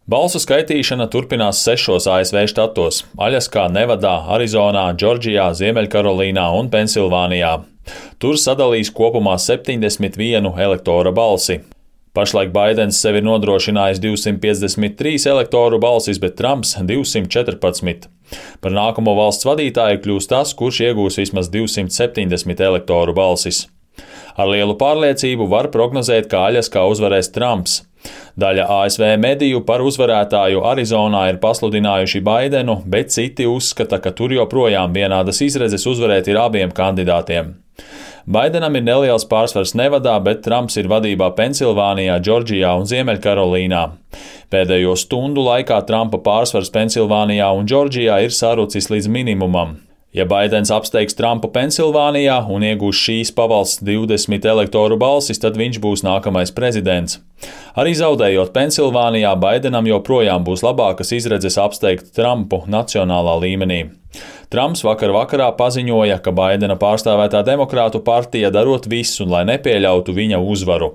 Balsu skaitīšana turpinās 6 ASV štatos - Aļaskā, Nevadā, Arizonā, Džordžijā, Ziemeļkarolīnā un Pensilvānijā. Tur sadalīs kopumā 71 elektora balsi. Pašlaik Baidens sev ir nodrošinājis 253 elektoru balsis, bet Trumps 214. Par nākamo valsts vadītāju kļūs tas, kurš iegūs vismaz 270 elektoru balsis. Ar lielu pārliecību var prognozēt, ka Aļaskā uzvarēs Trumps. Daļa ASV mediju par uzvarētāju Arizonā ir pasludinājuši Baidenu, bet citi uzskata, ka tur joprojām vienādas izredzes uzvarēt ir abiem kandidātiem. Baidenam ir neliels pārsvars Nevadā, bet Trumps ir vadībā Pensilvānijā, Džordžijā un Ziemeļkarolīnā. Pēdējo stundu laikā Trumpa pārsvars Pensilvānijā un Džordžijā ir sarucis līdz minimumam. Ja Baidens apsteigs Trumpu Pensilvānijā un iegūs šīs pavalsts 20 elektoru balsis, tad viņš būs nākamais prezidents. Arī zaudējot Pensilvānijā, Baidenam joprojām būs labākas izredzes apsteigt Trumpu nacionālā līmenī. Trumps vakar vakarā paziņoja, ka Baidena pārstāvētā demokrātu partija darot visu, lai nepieļautu viņa uzvaru.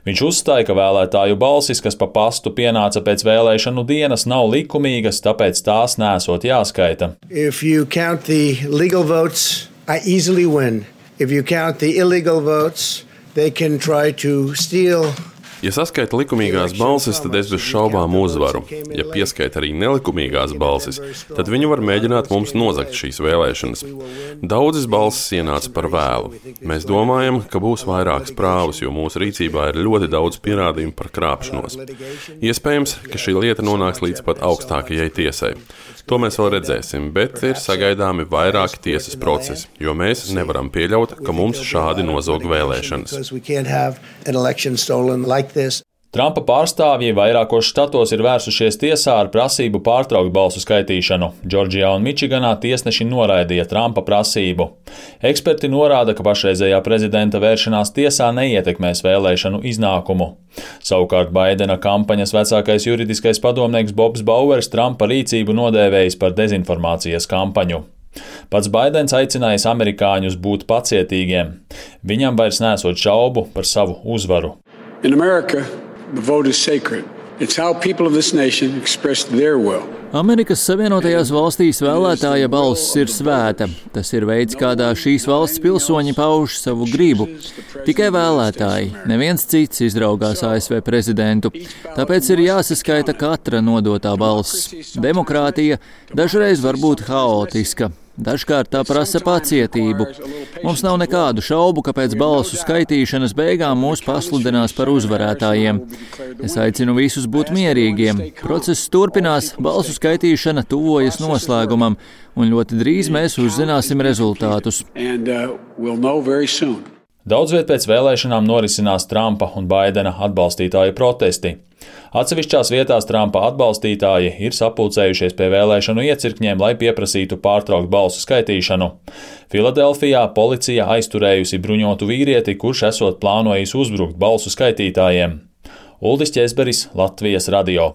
Viņš uzstāja, ka vēlētāju balsis, kas pa pastu pienāca pēc vēlēšanu dienas, nav likumīgas, tāpēc tās nesot jāskaita. If you count the legal votes, I easily win. If you count the illegal votes, they can try to steal. Ja saskaita likumīgās balsis, tad es bez šaubām uzvaru. Ja pieskaita arī nelikumīgās balsis, tad viņi var mēģināt mums nozagt šīs vēlēšanas. Daudzas balsis ienāca par vēlu. Mēs domājam, ka būs vairākas prāvas, jo mūsu rīcībā ir ļoti daudz pierādījumu par krāpšanos. Iespējams, ka šī lieta nonāks līdz pat augstākajai tiesai. To mēs vēl redzēsim, bet ir sagaidāmi vairāki tiesas procesi, jo mēs nevaram pieļaut, ka mums šādi nozog vēlēšanas. Trumpa pārstāvji vairākos štatos ir vērsušies tiesā ar prasību pārtraukt balsu skaitīšanu. Džordžijā un Mičiganā tiesneši noraidīja Trumpa prasību. Eksperti norāda, ka pašreizējā prezidenta vēršanās tiesā neietekmēs vēlēšanu iznākumu. Savukārt Baidena kampaņas vecākais juridiskais padomnieks Bobs Bauers Trumpa rīcību nodēvējis par dezinformācijas kampaņu. Pats Baidens aicinājis amerikāņus būt pacietīgiem. Viņam vairs nesot šaubu par savu uzvaru. In America, the vote is sacred. It's how people of this nation express their will. Amerikas Savienotajās valstīs vēlētāja balss ir svēta. Tas ir veids, kādā šīs valsts pilsoņi pauž savu gribu. Tikai vēlētāji, neviens cits izraugās ASV prezidentu. Tāpēc ir jāsaskaita katra nodotā balss. Demokrātija dažreiz var būt haotiska. Dažkārt tā prasa pacietību. Mums nav nekādu šaubu, ka pēc balsu skaitīšanas beigām mūs pasludinās par uzvarētājiem. Es aicinu visus būt mierīgiem. Process turpinās, balsu skaitīšana tuvojas noslēgumam, un ļoti drīz mēs uzzināsim rezultātus. Daudz viet pēc vēlēšanām norisinās Trumpa un Baidena atbalstītāju protesti. Atsevišķās vietās Trumpa atbalstītāji ir sapulcējušies pie vēlēšanu iecirkņiem, lai pieprasītu pārtraukt balsu skaitīšanu. Filadelfijā policija aizturējusi bruņotu vīrieti, kurš esot plānojis uzbrukt balsu skaitītājiem. Uldis Ķezberis, Latvijas radio.